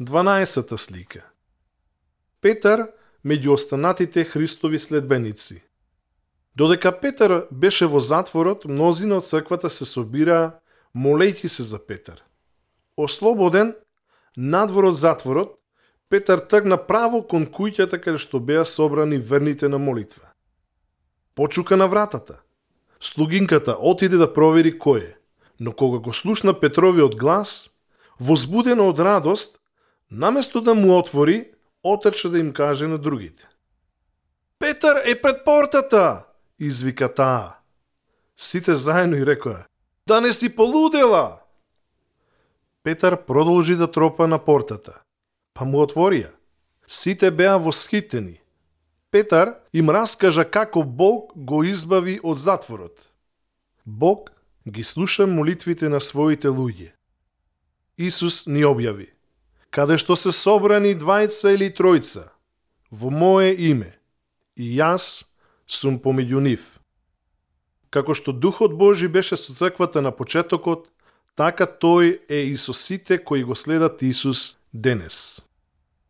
12-та слика. Петар меѓу останатите Христови следбеници. Додека Петар беше во затворот, мнозина од црквата се собираа, молејќи се за Петар. Ослободен, надвор од затворот, Петар тргна право кон куќата каде што беа собрани верните на молитва. Почука на вратата. Слугинката отиде да провери кој е, но кога го слушна Петровиот глас, возбудена од радост, наместо да му отвори, отрча да им каже на другите. Петар е пред портата, извика таа. Сите заедно и рекоа, да не си полудела. Петар продолжи да тропа на портата, па му отворија. Сите беа восхитени. Петар им раскажа како Бог го избави од затворот. Бог ги слуша молитвите на своите луѓе. Исус ни објави, каде што се собрани двајца или тројца, во мое име, и јас сум помеѓу нив. Како што Духот Божи беше со црквата на почетокот, така тој е и со сите кои го следат Исус денес.